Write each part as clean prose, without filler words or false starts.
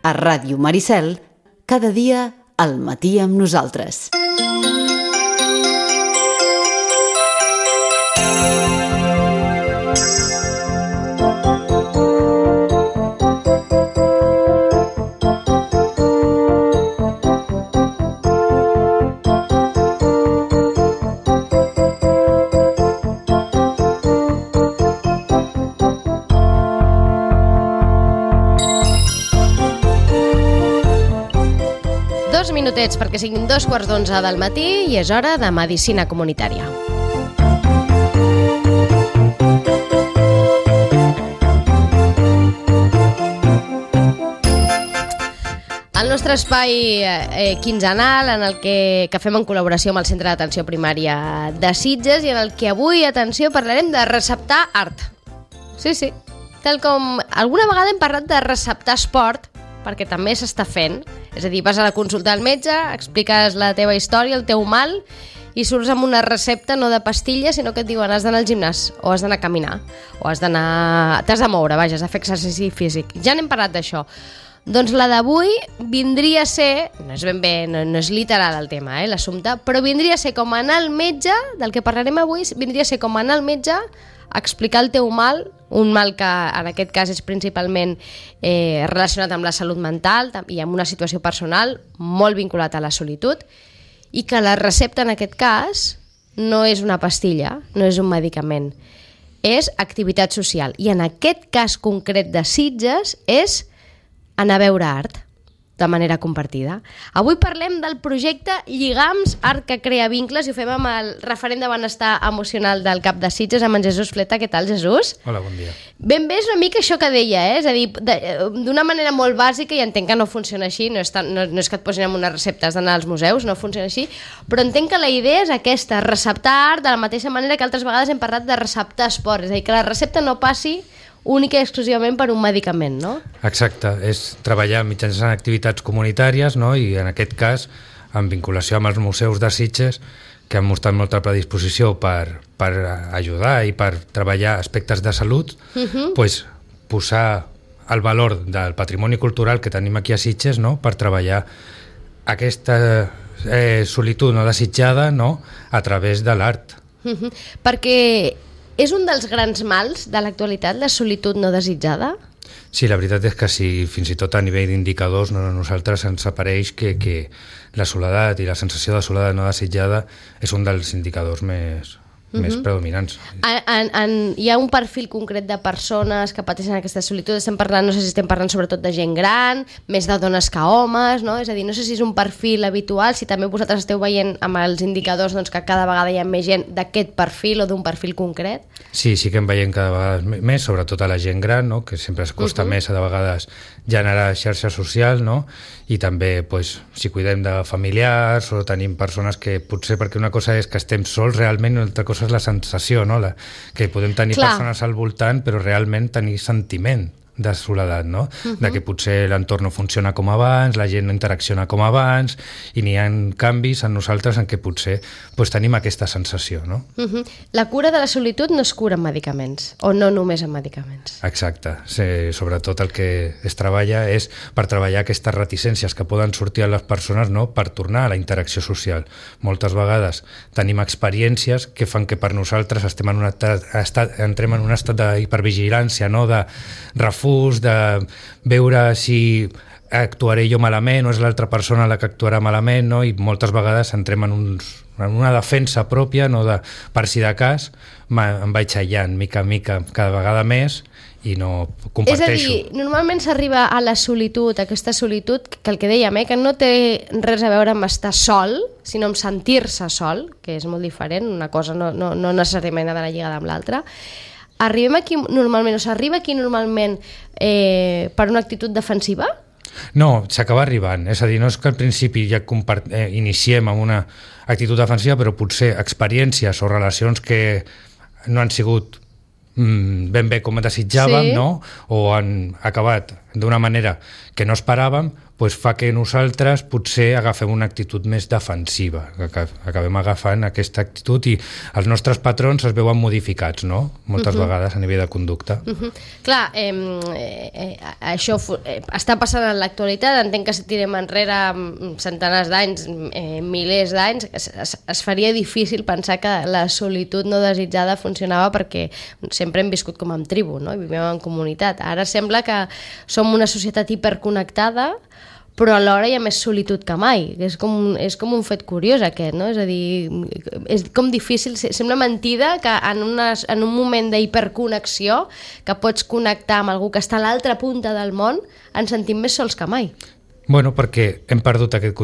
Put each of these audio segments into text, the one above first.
a Ràdio Maricel, cada dia al matí amb nosaltres. Minutets perquè siguin 2:15 del matí i és hora de Medicina Comunitària. El nostre espai quinzenal en el que fem en col·laboració amb el Centre d'Atenció Primària de Sitges i en el que avui, atenció, parlarem de receptar art. Sí, tal com alguna vegada hem parlat de receptar esport, perquè també s'està fent. És a dir, vas a la consulta al metge, expliques la teva història, el teu mal, i surts amb una recepta no de pastilles, sinó que et diuen has d'anar al gimnàs, o has d'anar a caminar, o t'has de moure, has de fer exercici físic. Ja n'hem parlat d'això. Doncs la d'avui vindria a ser, no és ben bé, no és literal el tema, l'assumpte, però vindria a ser com anar al metge, del que parlarem avui, vindria a ser com anar al metge a explicar el teu mal, un mal que en aquest cas és principalment relacionat amb la salut mental i amb una situació personal molt vinculat a la solitud, i que la recepta en aquest cas no és una pastilla, no és un medicament, és activitat social. I en aquest cas concret de Sitges és anar a veure art de manera compartida. Avui parlem del projecte Lligams, art que crea vincles, i ho fem amb el referent de benestar emocional del CAP de Sitges, amb en Jesús Fleta. Què tal, Jesús? Hola, bon dia. Ben bé és una mica això que deia, és a dir, d'una manera molt bàsica, i entenc que no funciona així, no és que et posin amb una recepta, has d'anar als museus, no funciona així, però entenc que la idea és aquesta, receptar art de la mateixa manera que altres vegades hem parlat de receptar esport, és a dir, que la recepta no passi única i exclusivament per un medicament, no? Exacte, és treballar mitjançant activitats comunitàries, no? I en aquest cas, en vinculació amb els museus de Sitges, que han mostrat molta predisposició per ajudar i per treballar aspectes de salut, pues, posar el valor del patrimoni cultural que tenim aquí a Sitges, no? Per treballar aquesta solitud no desitjada, no? A través de l'art. Perquè és un dels grans mals de l'actualitat, la solitud no desitjada? Sí, la veritat és que sí, fins i tot a nivell d'indicadors, no, a nosaltres ens apareix que la soledat i la sensació de soledat no desitjada és un dels indicadors més predominants. Hi ha un perfil concret de persones que pateixen aquesta solitud? Estem parlant, no sé si estem parlant sobretot de gent gran, més de dones que homes, no? És a dir, no sé si és un perfil habitual, si també vosaltres esteu veient amb els indicadors doncs, que cada vegada hi ha més gent d'aquest perfil o d'un perfil concret? Sí que en veiem cada vegada més, sobretot a la gent gran, no? Que sempre es costa més de vegades generar xarxa social, no? I també, pues, si cuidem de familiars o tenim persones que potser, perquè una cosa és que estem sols realment i una altra cosa és la sensació, no? Que podem tenir persones al voltant però realment tenir sentiment de soledat, no? De que potser l'entorn no funciona com abans, la gent no interacciona com abans i n'hi ha canvis en nosaltres en què potser pues, tenim aquesta sensació, no? La cura de la solitud no es cura amb medicaments, o no només amb medicaments. Exacte. Sí, sobretot el que es treballa és per treballar aquestes reticències que poden sortir a les persones, no? Per tornar a la interacció social. Moltes vegades tenim experiències que fan que per nosaltres entrem en un estat d'hipervigilància, no? De refús, de veure si actuaré jo malament o és l'altra persona la que actuarà malament, no? I moltes vegades entrem en una defensa pròpia, no? Per si de cas em vaig aïllant mica en mica cada vegada més i no comparteixo. És a dir, normalment s'arriba a la solitud, aquesta solitud que el que dèiem, que no té res a veure amb estar sol, sinó amb sentir-se sol, que és molt diferent, una cosa no necessàriament ha d'anar lligada amb l'altra. Arriba aquí normalment per una actitud defensiva? No, s'acaba arribant. És a dir, no és que al principi ja iniciem amb una actitud defensiva, però potser experiències o relacions que no han sigut ben bé com desitjàvem, no? O han acabat d'una manera que no esperàvem, doncs fa que nosaltres potser agafem una actitud més defensiva, que acabem agafant aquesta actitud i els nostres patrons es veuen modificats, no? Moltes vegades a nivell de conducta. Clar, això està passant en l'actualitat, entenc que si tirem enrere centenars d'anys, milers d'anys, es faria difícil pensar que la solitud no desitjada funcionava perquè sempre hem viscut com en tribu, no? I vivim en comunitat. Ara sembla que som una societat hiperconnectada, però alhora hi ha més solitud que mai. És com un fet curiós aquest, no? És a dir, és com difícil, sembla mentida que en un moment d'hiperconnexió, que pots connectar amb algú que està a l'altra punta del món, ens sentim més sols que mai. Bueno, perquè hem perdut aquest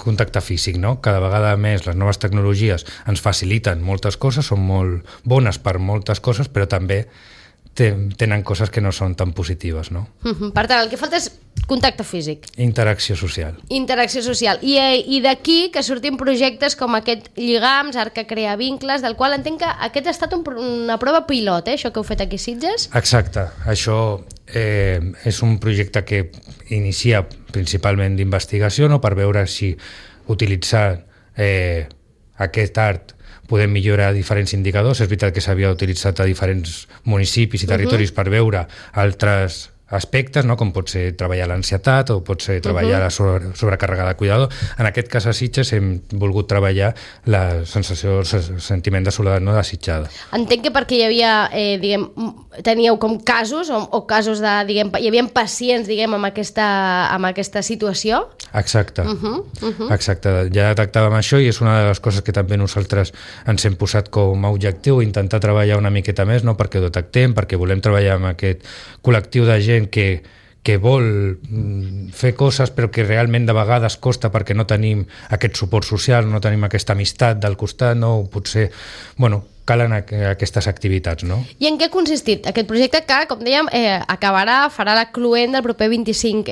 contacte físic, no? Cada vegada més les noves tecnologies ens faciliten moltes coses, són molt bones per moltes coses, però també tenen coses que no són tan positives, no? Per tant, el que falta és contacte físic. Interacció social. Interacció social. I d'aquí que surtin projectes com aquest Lligams, Art que crea vincles, del qual entenc que aquest ha estat una prova pilot, això que heu fet aquí a Sitges? Exacte. Això és un projecte que inicia principalment d'investigació, no? Per veure si utilitzar aquest art podem millorar diferents indicadors. És veritat que s'havia utilitzat a diferents municipis i territoris per veure altres aspectes, no? Com pot ser treballar l'ansietat o pot ser treballar la sobrecàrrega de cuidador. En aquest cas a Sitges hem volgut treballar la sensació, el sentiment de soledat no desitjada. Entenc que perquè hi havia, teníeu com casos o casos de, hi havia pacients, amb aquesta situació? Exacte. Exacte. Ja detectàvem això i és una de les coses que també nosaltres ens hem posat com a objectiu, intentar treballar una miqueta més, no? Perquè ho detectem, perquè volem treballar amb aquest col·lectiu de gent que vol fer coses però que realment de vegades costa perquè no tenim aquest suport social, no tenim aquesta amistat del costat, no? Potser, calen aquestes activitats, no? I en què ha consistit aquest projecte que, com dèiem, farà la cluent del proper 25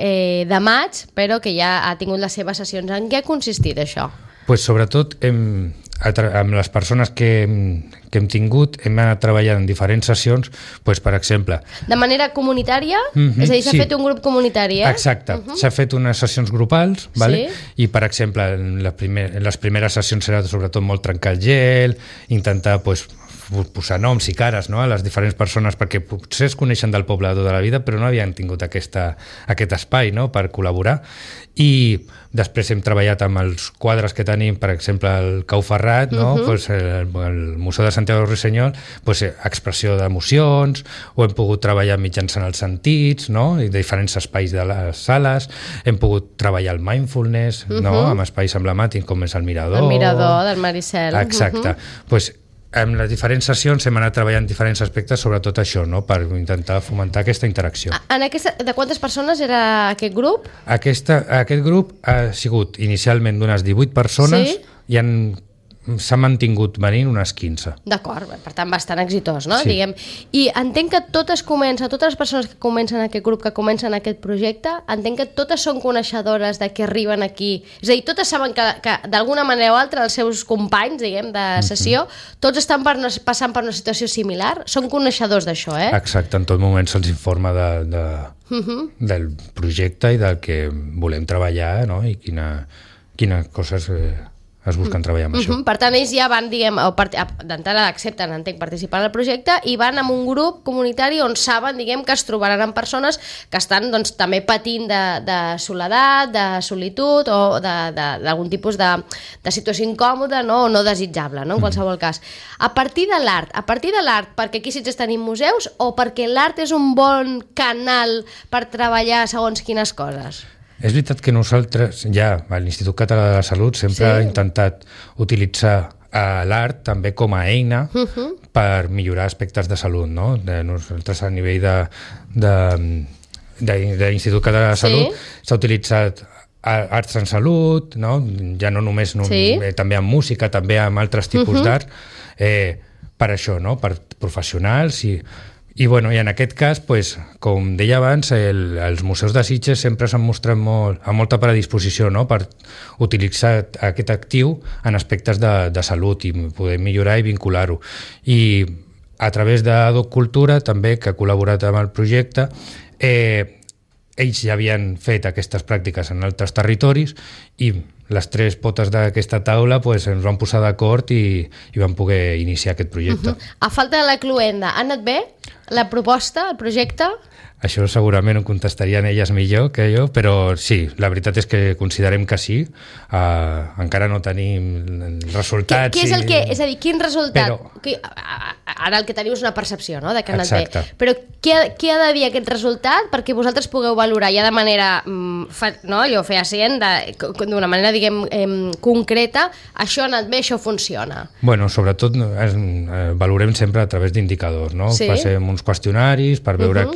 de maig, però que ja ha tingut les seves sessions. En què ha consistit això? Pues sobretot amb les persones que hem tingut hem anat treballant en diferents sessions, pues, per exemple... De manera comunitària? És a dir, s'ha fet un grup comunitari, Exacte. S'ha fet unes sessions grupals, vale? I, per exemple, en les primeres sessions era sobretot molt trencar el gel, intentar posar noms i cares, no? A les diferents persones, perquè potser es coneixen del poble de tota la vida, però no havien tingut aquest espai, no? Per col·laborar. I després hem treballat amb els quadres que tenim, per exemple, el Cau Ferrat, no? El Museu de Santiago Ruiseñol, expressió d'emocions, o hem pogut treballar mitjançant els sentits, no? I diferents espais de les sales, hem pogut treballar el mindfulness, no? Amb espais emblemàtics com és el Mirador. El Mirador del Maricel. Exacte. En les diferents sessions hem anat treballant diferents aspectes, sobretot això, no? Per intentar fomentar aquesta interacció. De quantes persones era aquest grup? Aquest grup ha sigut inicialment d'unes 18 persones i s'ha mantingut venint unes 15. D'acord, per tant bastant exitós, no? Sí. I entenc que totes les persones que comencen aquest grup, que comencen aquest projecte, entenc que totes són coneixedores de que arriben aquí, és a dir, totes saben que d'alguna manera o altra els seus companys, de sessió, tots estan passant per una situació similar, són coneixedors d'això, Exacte, en tot moment se'ls informa del projecte i del que volem treballar, no? I quines coses es busquen treballar amb això. Per tant, ells ja van, d'entrada accepten, entenc, participar en el projecte i van amb un grup comunitari on saben, que es trobaran amb persones que estan també patint de soledat, de solitud o d'algun tipus de situació incòmoda, no? O no desitjable, no? En qualsevol cas. A partir de l'art, perquè aquí sí que tenim museus o perquè l'art és un bon canal per treballar segons quines coses? És veritat que nosaltres, ja a l'Institut Català de la Salut, sempre ha intentat utilitzar l'art també com a eina per millorar aspectes de salut, no? Nosaltres a nivell d'Institut Català de la Salut s'ha utilitzat arts en salut, no? Ja no només també amb música, també amb altres tipus d'art, per això, no? Per professionals i en aquest cas, com deia abans, els museus de Sitges sempre s'han mostrat amb molta predisposició, no? Per utilitzar aquest actiu en aspectes de salut i poder millorar i vincular-ho. I a través d'Adoc Cultura, també, que ha col·laborat amb el projecte, ells ja havien fet aquestes pràctiques en altres territoris i les 3 potes d'aquesta taula pues, ens van posar d'acord i van poder iniciar aquest projecte. A falta de la cluenda, ha anat bé la proposta, el projecte? Això segurament ho contestarien elles millor que jo, però sí, la veritat és que considerem que sí. Encara no tenim resultats. Què és el que... És a dir, quin resultat? Ara el que teniu és una percepció, no?, de que ha anat bé. Però què ha de dir aquest resultat perquè vosaltres pugueu valorar ja de manera, allò fehacient, d'una manera, diguem, concreta, això ha anat bé, això funciona? Bueno, sobretot valorem sempre a través d'indicadors, no? Sí. Passem uns qüestionaris per veure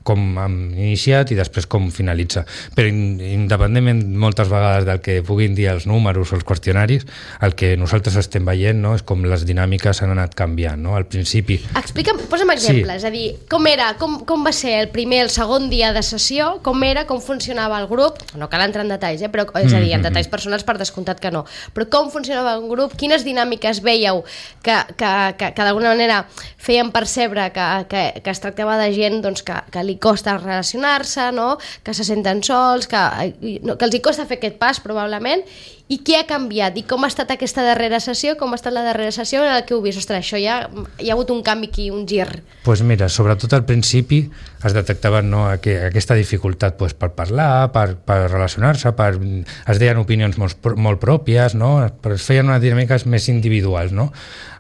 com hem iniciat i després com finalitza. Però independentment moltes vegades del que puguin dir els números o els qüestionaris, el que nosaltres estem veient, no?, és com les dinàmiques han anat canviant, no? Al principi... Explica'm, posa'm exemples, és a dir, com era, com va ser el primer, el segon dia de sessió, com era, com funcionava el grup, no cal entrar en detalls, però, és a dir, en detalls personals per descomptat que no, però com funcionava el grup, quines dinàmiques veieu que d'alguna manera feien percebre que es tractava de gent doncs, que li costa relacionar-se, no?, que se senten sols, que els hi costa fer aquest pas probablement, i què ha canviat? I com ha estat aquesta darrera sessió? Com ha estat la darrera sessió en què heu vist? Ostres, això ja hi ha hagut un canvi aquí, un gir. Doncs mira, sobretot al principi es detectava, no, aquesta dificultat pues, per parlar, per relacionar-se, es deien opinions molt pròpies, no? Es feien unes dinàmiques més individuals, no?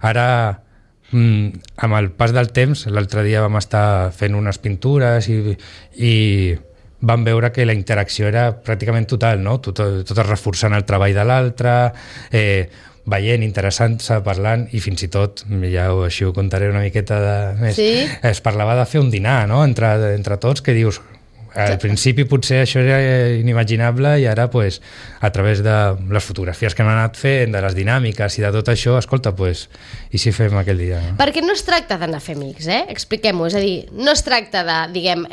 Ara, amb el pas del temps, l'altre dia vam estar fent unes pintures i vam veure que la interacció era pràcticament total, no? Tot reforçant el treball de l'altre, veient, interessant-se, parlant, i fins i tot, ja així ho contaré una miqueta més, sí? Es parlava de fer un dinar, no?, entre tots, que dius... Al principi potser això era inimaginable i ara pues, a través de les fotografies que hem anat fent, de les dinàmiques i de tot això, escolta, pues, i si fem aquell dia? No? Perquè no es tracta d'anar a fer amics, expliquem-ho, és a dir, no es tracta de, diguem,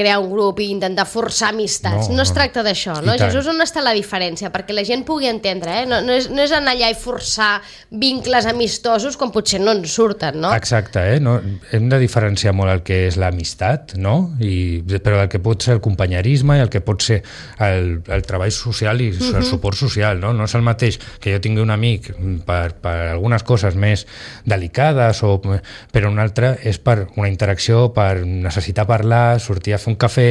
crear un grup i intentar forçar amistats, no es tracta d'això, no? Jesús, on està la diferència? Perquè la gent pugui entendre, no és anar allà i forçar vincles amistosos com potser no ens surten, no? Exacte, no? Hem de diferenciar molt el que és l'amistat, no? Però el que pot ser el companyerisme i el que pot ser el treball social i el suport social, no? No és el mateix que jo tingui un amic per algunes coses més delicades, però un altre és per una interacció, per necessitar parlar, sortir a fer un cafè,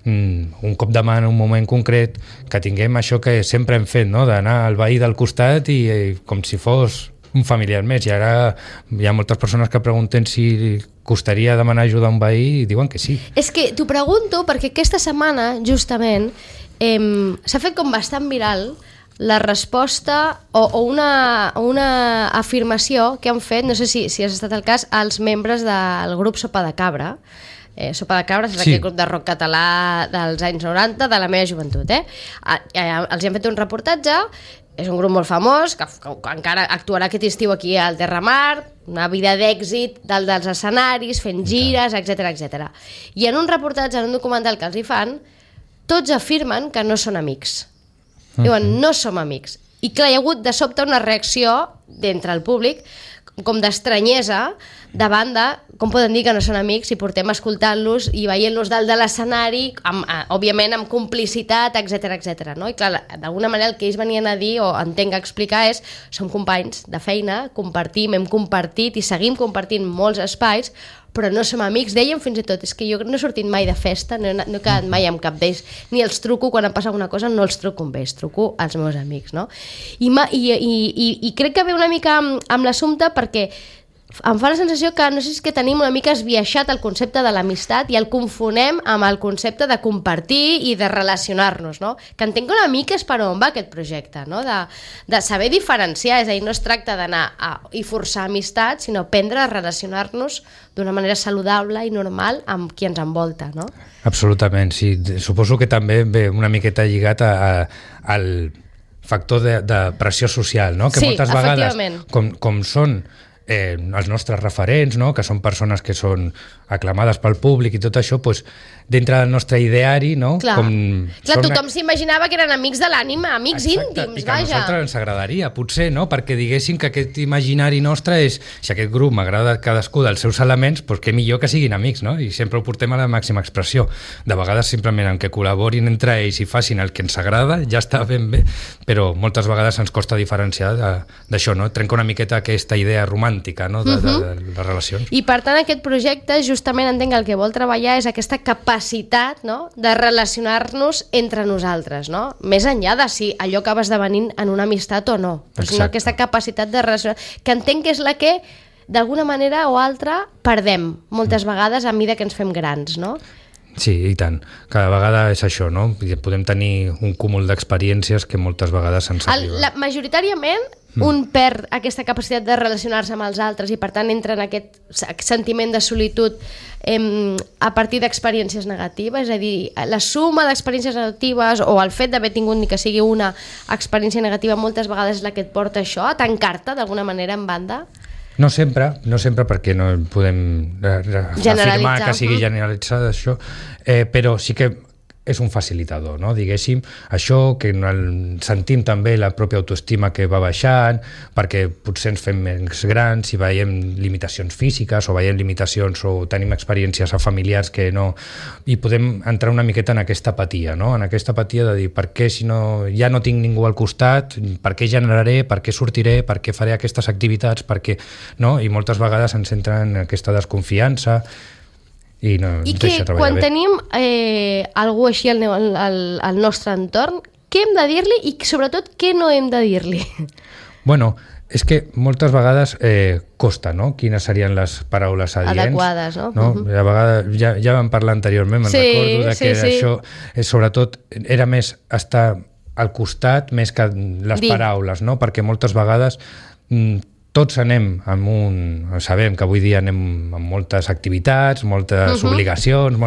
un cop de mà en un moment concret, que tinguem això que sempre hem fet, no? D'anar al veí del costat i com si fos un familiar més, i ara hi ha moltes persones que pregunten si costaria demanar ajuda a un veí i diuen que sí. És que t'ho pregunto perquè aquesta setmana, justament, s'ha fet com bastant viral la resposta o una afirmació que han fet, no sé si has estat el cas, als membres del grup Sopa de Cabra. Sopa de Cabra és aquell grup de rock català dels anys 90, de la meva joventut. Els han fet un reportatge. És un grup molt famós, que encara actuarà aquest estiu aquí al Terramar, una vida d'èxit dels escenaris, fent gires, etc. I en un reportatge, en un documental que els hi fan, tots afirmen que no són amics. Diuen, no som amics. I clar, hi ha hagut de sobte una reacció d'entre el públic, com d'estranyesa, davant de com poden dir que no són amics si portem escoltant-los i veient-los dalt de l'escenari, òbviament amb complicitat, etc. No? I clar, d'alguna manera el que ells venien a dir, o entenc a explicar, és som companys de feina, compartim, hem compartit i seguim compartint molts espais, però no som amics. Dèiem fins i tot, és que jo no he sortit mai de festa, no he quedat mai amb cap d'ells, ni els truco quan em passa alguna cosa, no els truco amb ells, truco als meus amics, no? I crec que ve una mica amb l'assumpte perquè em fa la sensació que no sé si és que tenim una mica esbiaixat el concepte de l'amistat i el confonem amb el concepte de compartir i de relacionar-nos, no? Que entenc que una mica és per on va aquest projecte, no? De saber diferenciar, és a dir, no es tracta d'anar i forçar amistat, sinó aprendre a relacionar-nos d'una manera saludable i normal amb qui ens envolta, no? Absolutament, sí. Suposo que també ve una miqueta lligat al factor de pressió social, no? Que sí, moltes vegades, com són els nostres referents, no? Que són persones que són aclamades pel públic i tot això, doncs, dintre del nostre ideari, no? Clar, tothom s'imaginava que eren amics de l'ànima, amics íntims, i que a nosaltres ens agradaria, potser, no? Perquè diguéssim que aquest imaginari nostre és, si aquest grup m'agrada cadascú dels seus elements, doncs què millor que siguin amics, no? I sempre ho portem a la màxima expressió. De vegades simplement en que col·laborin entre ells i facin el que ens agrada, ja està ben bé, però moltes vegades ens costa diferenciar d'això, no? Trenca una miqueta aquesta idea romàntica, no? De les relacions. I per tant aquest projecte justament entenc que el que vol treballar és aquesta capacitat, no? De relacionar-nos entre nosaltres, no? Més enllà de si allò acaba esdevenint en una amistat o no, però sinó aquesta capacitat de relacionar, que entenc que és la que d'alguna manera o altra perdem moltes vegades a mesura que ens fem grans, no? Sí, i tant. Cada vegada és això, no? Podem tenir un cúmul d'experiències que moltes vegades ens arriben. Majoritàriament un perd aquesta capacitat de relacionar-se amb els altres i per tant entra en aquest sentiment de solitud a partir d'experiències negatives, és a dir, la suma d'experiències negatives o el fet d'haver tingut ni que sigui una experiència negativa moltes vegades és la que et porta això, a tancar-te d'alguna manera en banda? No sempre perquè no podem afirmar que sigui generalitzat això, però sí que és un facilitador, no? Diguéssim, això que sentim també la pròpia autoestima que va baixant, perquè potser ens fem més grans i veiem limitacions físiques o veiem limitacions o tenim experiències familiars que no... I podem entrar una miqueta en aquesta apatia, no? En aquesta apatia de dir, per què si no, ja no tinc ningú al costat, per què generaré, per què sortiré, per què faré aquestes activitats, per què... No? I moltes vegades ens entra en aquesta desconfiança i que quan tenim algú així al nostre entorn, què hem de dir-li i sobretot què no hem de dir-li? Bueno, és que moltes vegades costa, no? Quines serien les paraules adients. Adequades, no? A vegades, ja vam parlar anteriorment, recordo que això, sobretot, era més estar al costat més que les paraules, no? Perquè moltes vegades tots anem sabem que avui dia anem amb moltes activitats, moltes obligacions,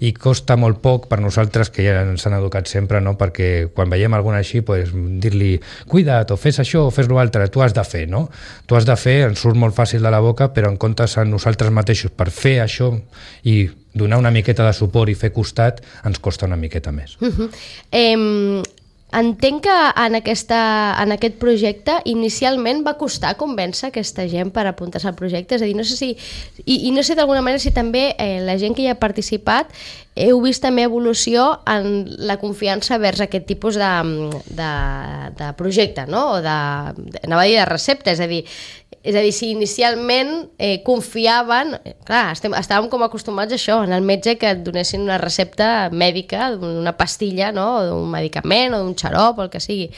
i costa molt poc per nosaltres, que ja ens han educat sempre, no? Perquè quan veiem alguna així, pues, dir-li cuida't, o fes això, o fes l'altre, tu has de fer, no? Tu has de fer, ens surt molt fàcil de la boca, però en comptes a nosaltres mateixos per fer això i donar una miqueta de suport i fer costat, ens costa una miqueta més. Entenc que en aquest projecte inicialment va costar convèncer aquesta gent per apuntar-se al projecte, és a dir, no sé si i no sé d'alguna manera si també la gent que hi ha participat heu vist també evolució en la confiança vers aquest tipus de projecte, no? O anava a dir de recepta, és a dir, si inicialment confiaven, clar, estàvem com acostumats a això, en el metge que et donessin una recepta mèdica, una pastilla, no? O d'un medicament o d'un xarop o el que sigui.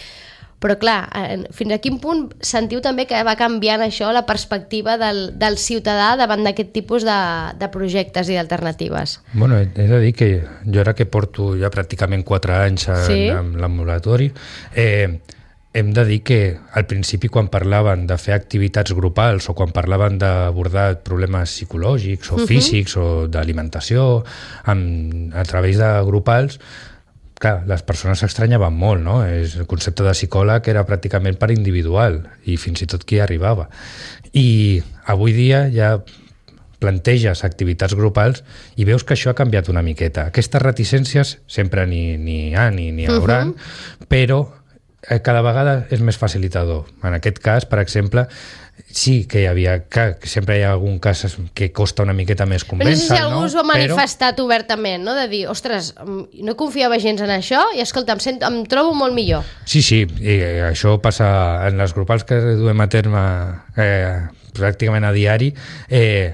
Però clar, fins a quin punt sentiu també que va canviant això la perspectiva del ciutadà davant d'aquest tipus de projectes i d'alternatives? Bueno, he de dir que jo ara que porto ja pràcticament 4 anys en l'ambulatori, hem de dir que al principi quan parlaven de fer activitats grupals o quan parlaven d'abordar problemes psicològics o físics o d'alimentació a través de grupals, clar, les persones s'estranyaven molt, no? El concepte de psicòleg era pràcticament per individual i fins i tot qui arribava. I avui dia ja planteges activitats grupals i veus que això ha canviat una miqueta. Aquestes reticències sempre n'hi haurà, però cada vegada és més facilitador. En aquest cas, per exemple, sí que sempre hi ha algun cas que costa una miqueta més convèncer, no? Però no sé si algú s'ho ha manifestat obertament, no? De dir, ostres, no confiava gens en això i escolta, em trobo molt millor. Sí, i això passa en les grupals que duem a terme pràcticament a diari,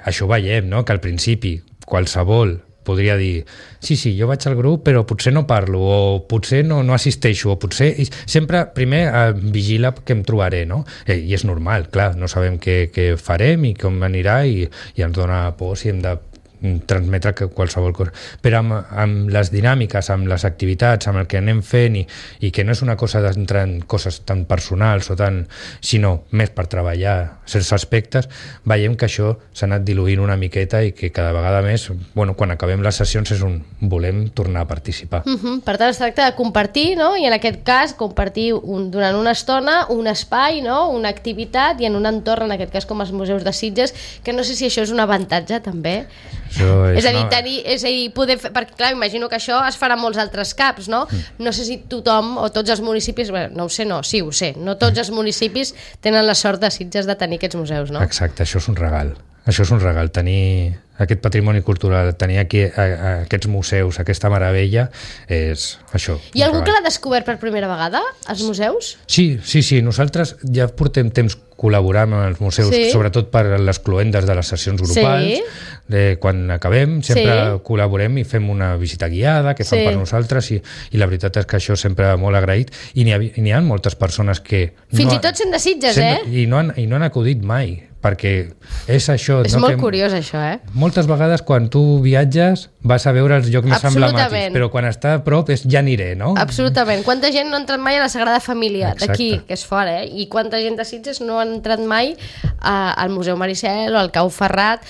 això ho veiem, no? Que al principi qualsevol podria dir, sí, jo vaig al grup però potser no parlo o potser no assisteixo o potser... Sempre primer vigila què em trobaré, no? I és normal, clar, no sabem què farem i com anirà i ens dona por si hem de transmetre qualsevol cosa. Però amb les dinàmiques, amb les activitats, amb el que anem fent i que no és una cosa d'entrar en coses tan personals o tan, sinó més per treballar certs aspectes, veiem que això s'ha anat diluint una miqueta i que cada vegada més, quan acabem les sessions volem tornar a participar. Per tant, es tracta de compartir, no? I en aquest cas compartir durant una estona un espai, no? Una activitat i en un entorn, en aquest cas com els museus de Sitges, que no sé si això és un avantatge també. És a dir, poder fer, perquè clar, imagino que això es farà a molts altres caps, no? No sé si tothom o tots els municipis, no ho sé, sí ho sé, no tots els municipis tenen la sort de Sitges de tenir aquests museus, no? Exacte, això és un regal. Això és un regal, tenir aquest patrimoni cultural, tenir aquí aquests museus, aquesta meravella, és això. Hi ha algú que l'ha descobert per primera vegada, els museus? Sí, nosaltres ja portem temps col·laborant amb els museus, sobretot per les cloendes de les sessions grupals. Quan acabem sempre col·laborem i fem una visita guiada que fan per nosaltres i la veritat és que això sempre molt agraït i n'hi ha moltes persones que fins i tot sent de Sitges, i no han acudit mai, perquè és això. És molt curiós això, Moltes vegades quan tu viatges vas a veure els llocs més emblemàtics, però quan està a prop és ja aniré, no? Absolutament. Quanta gent no ha entrat mai a la Sagrada Família d'aquí, que és fora, i quanta gent de Sitges no ha entrat mai al Museu Maricel o al Cau Ferrat.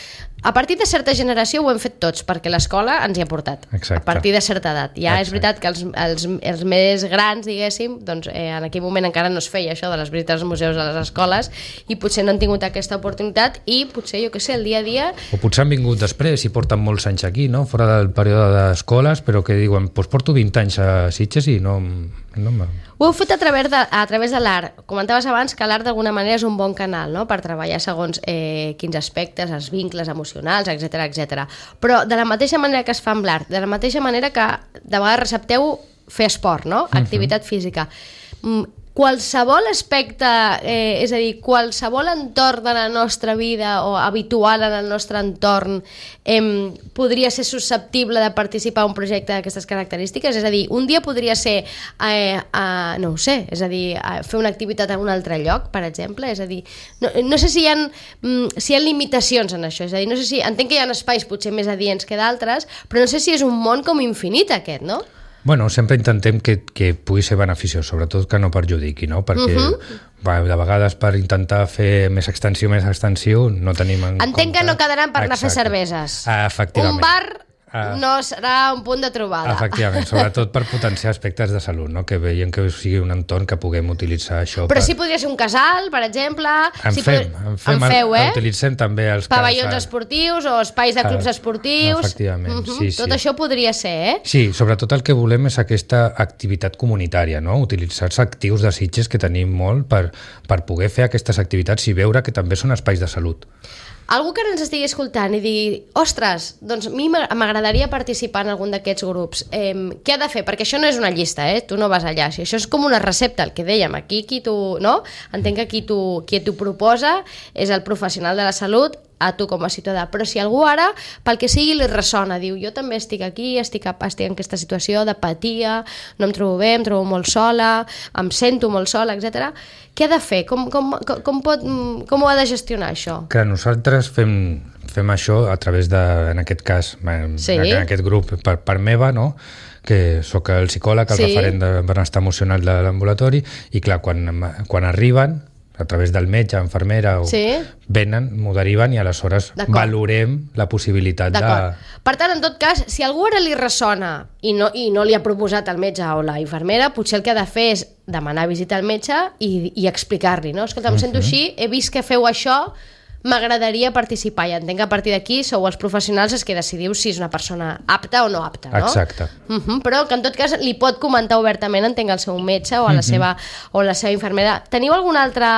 A partir de certa generació ho hem fet tots, perquè l'escola ens hi ha portat. Exacte. A partir de certa edat. Ja és veritat que els més grans, diguéssim, doncs en aquell moment encara no es feia això de les visites als museus a les escoles i potser no han tingut aquesta oportunitat i potser, jo què sé, el dia a dia... O potser han vingut després i porten molts anys aquí, no? Fora del període d'escoles, però que diuen, doncs porto 20 anys a Sitges i no Ho heu fet a través de l'art. Comentaves abans que l'art d'alguna manera és un bon canal, no? Per treballar segons quins aspectes, els vincles emocionals, etc. Però de la mateixa manera que es fa amb l'art, de la mateixa manera que de vegades recepteu fer esport, no? Activitat física. Qualsevol aspecte, és a dir, qualsevol entorn de la nostra vida o habitual en el nostre entorn podria ser susceptible de participar en un projecte d'aquestes característiques? És a dir, un dia podria ser, no ho sé, és a dir, fer una activitat en un altre lloc, per exemple, és a dir, no sé si hi ha limitacions en això, és a dir, no sé si, entenc que hi ha espais potser més adients que d'altres, però no sé si és un món com infinit aquest, no? Bueno, sempre intentem que pugui ser beneficiós, sobretot que no perjudiqui, no? Perquè de vegades per intentar fer més extensiu no tenim en compte... Entenc que no quedaran per anar a fer cerveses. Efectivament. Un bar no serà un punt de trobada. Efectivament, sobretot per potenciar aspectes de salut, no? Que veiem que sigui un entorn que puguem utilitzar això. Però sí podria ser un casal, per exemple. En feu, utilitzem també els pavellons esportius o espais de clubs esportius. Efectivament, sí. Tot això podria ser, Sí, sobretot el que volem és aquesta activitat comunitària, no? Utilitzar els actius de Sitges que tenim molt per poder fer aquestes activitats i veure que també són espais de salut. Algú que ens estigui escoltant i digui, ostres, doncs a mi m'agradaria participar en algun d'aquests grups. Què ha de fer? Perquè això no és una llista, tu no vas allà. Si això és com una recepta, el que dèiem, aquí entenc que qui t'ho proposa és el professional de la salut, a tu com a ciutadà, però si algú ara, pel que sigui, li ressona, diu, jo també estic aquí, estic en aquesta situació d'apatia, no em trobo bé, em trobo molt sola, em sento molt sola, etc. Què ha de fer? Com ho ha de gestionar, això? Que nosaltres fem això a través de, en aquest cas, en aquest grup per meva, no?, que sóc el psicòleg, el referent de benestar emocional de l'ambulatori, i clar, quan arriben, a través del metge, infermera, venen, m'ho deriven i aleshores valorem la possibilitat de... Per tant, en tot cas, si algú ara li ressona i no li ha proposat el metge o la infermera, potser el que ha de fer és demanar visita al metge i explicar-li, no? Escolta, em sento així, he vist que feu això, m'agradaria participar, i entenc que a partir d'aquí sou els professionals els que decidiu si és una persona apta o no apta, no? Exacte. Però que en tot cas li pot comentar obertament, entenc, al seu metge o a la seva infermera. Teniu algun altre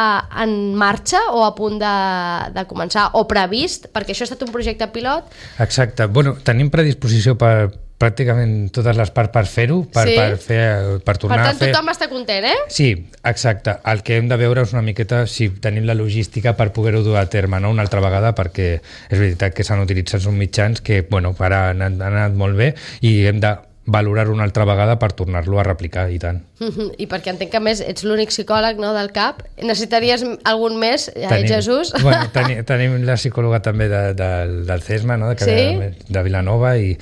en marxa o a punt de començar o previst? Perquè això ha estat un projecte pilot. Exacte. Bueno, tenim predisposició per pràcticament totes les parts per fer-ho, per tornar a fer... Per tant, tothom està content, Sí, exacte. El que hem de veure és una miqueta si tenim la logística per poder-ho dur a terme, no?, una altra vegada, perquè és veritat que s'han utilitzat uns mitjans que, bueno, ara han anat molt bé i hem de valorar una altra vegada per tornar-lo a replicar, i tant. I perquè entenc que, a més, ets l'únic psicòleg, no, del CAP. Necessitaries algun més, Jesús? Bueno, tenim la psicòloga també del CESMA, no? De Vilanova, i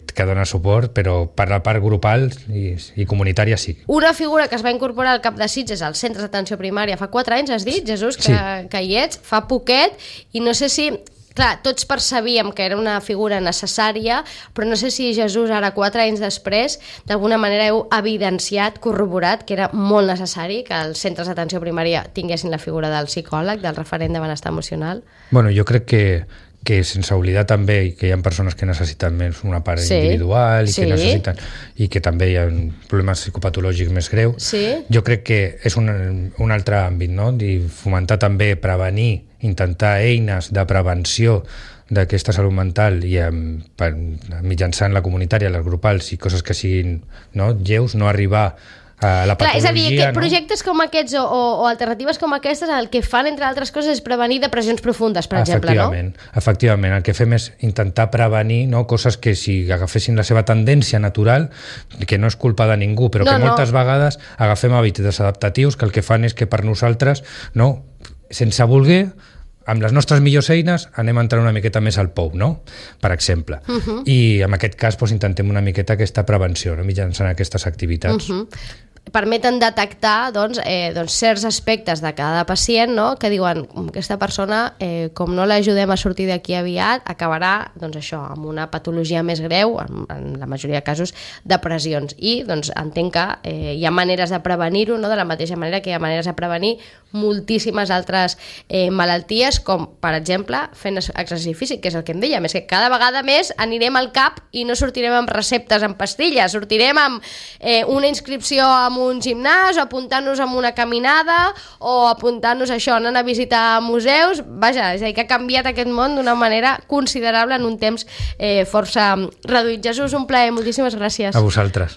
que dona suport, però per la part grupal i comunitària sí. Una figura que es va incorporar al CAP de Sitges, als centres d'atenció primària, fa 4 anys, has dit, Jesús, que hi ets, fa poquet, i no sé si... Clar, tots percebíem que era una figura necessària, però no sé si Jesús, ara 4 anys després, d'alguna manera heu evidenciat, corroborat, que era molt necessari que els centres d'atenció primària tinguessin la figura del psicòleg, del referent de benestar emocional. Bueno, jo crec que sense oblidar també que hi ha persones que necessiten més una part individual i que també hi ha problemes psicopatològics més greus. Jo crec que és un altre àmbit, no? I fomentar també, prevenir, intentar eines de prevenció d'aquesta salut mental i mitjançant la comunitària, les grupals i coses que siguin lleus, no arribar a la patologia. Clar, és a dir, que projectes com aquests o alternatives com aquestes el que fan, entre altres coses, és prevenir depressions profundes, per exemple, no? Efectivament, el que fem és intentar prevenir coses que si agafessin la seva tendència natural, que no és culpa de ningú, però que moltes vegades agafem hàbits desadaptatius que el que fan és que per nosaltres, sense voler, amb les nostres millors eines anem a entrar una miqueta més al pou, no? Per exemple. I en aquest cas intentem una miqueta aquesta prevenció, mitjançant aquestes activitats. Permeten detectar certs aspectes de cada pacient, no? Que diuen, aquesta persona, com no l'ajudem a sortir d'aquí aviat, acabarà amb una patologia més greu, en la majoria de casos, depressions. I entenc que hi ha maneres de prevenir-ho, no? De la mateixa manera que hi ha maneres de prevenir moltíssimes altres malalties, com, per exemple, fent exercici físic, que és el que em dèiem, és que cada vegada més anirem al CAP i no sortirem amb receptes en pastilles, sortirem amb una inscripció en un gimnàs, o apuntant-nos amb una caminada, o apuntant-nos a això, anant a visitar museus. Vaja, és a dir, que ha canviat aquest món d'una manera considerable en un temps força reduït. Jesús, un plaer, moltíssimes gràcies. A vosaltres.